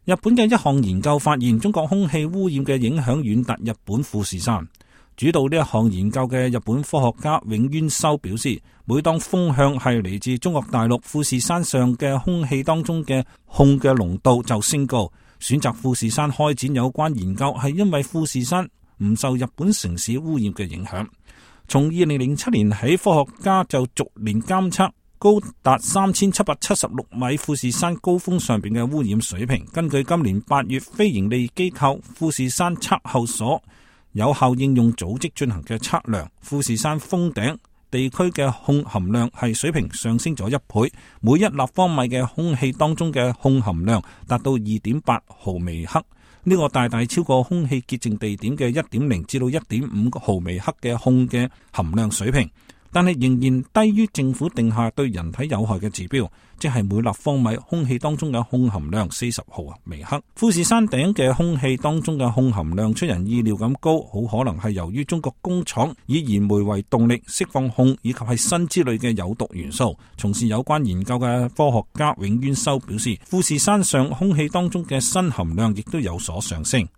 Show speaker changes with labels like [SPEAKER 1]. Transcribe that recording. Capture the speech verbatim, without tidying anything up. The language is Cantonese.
[SPEAKER 1] 日本嘅一項研究發現，中國空氣污染嘅影響遠達日本富士山。主導呢一項研究嘅日本科學家永淵修表示，每當風向係嚟自中國大陸，富士山上嘅空氣當中嘅汞嘅濃度就升高。選擇富士山開展有關研究係因為富士山唔受日本城市污染嘅影響。從二零零七年起，科學家就逐年監測高達三千七百七十六米富士山高峰上邊嘅污染水平。根據今年八月非營利機構富士山測候所有效應用組織進行嘅測量，富士山峰頂地區嘅汞含量係水平上升咗一倍，每一立方米嘅空氣當中嘅汞含量達到二點八毫微克，呢個大大超過空氣潔淨地點嘅一點零至到一點五毫微克嘅汞嘅含量水平，但係仍然低於政府定下對人體有害嘅指標，即係每立方米空氣當中嘅汞含量四十毫微克。富士山頂嘅空氣當中嘅汞含量出人意料咁高，好可能係由於中國工廠以燃煤為動力釋放汞以及係砷之類嘅有毒元素。從事有關研究嘅科學家永淵修表示，富士山上空氣當中嘅砷含量亦都有所上升。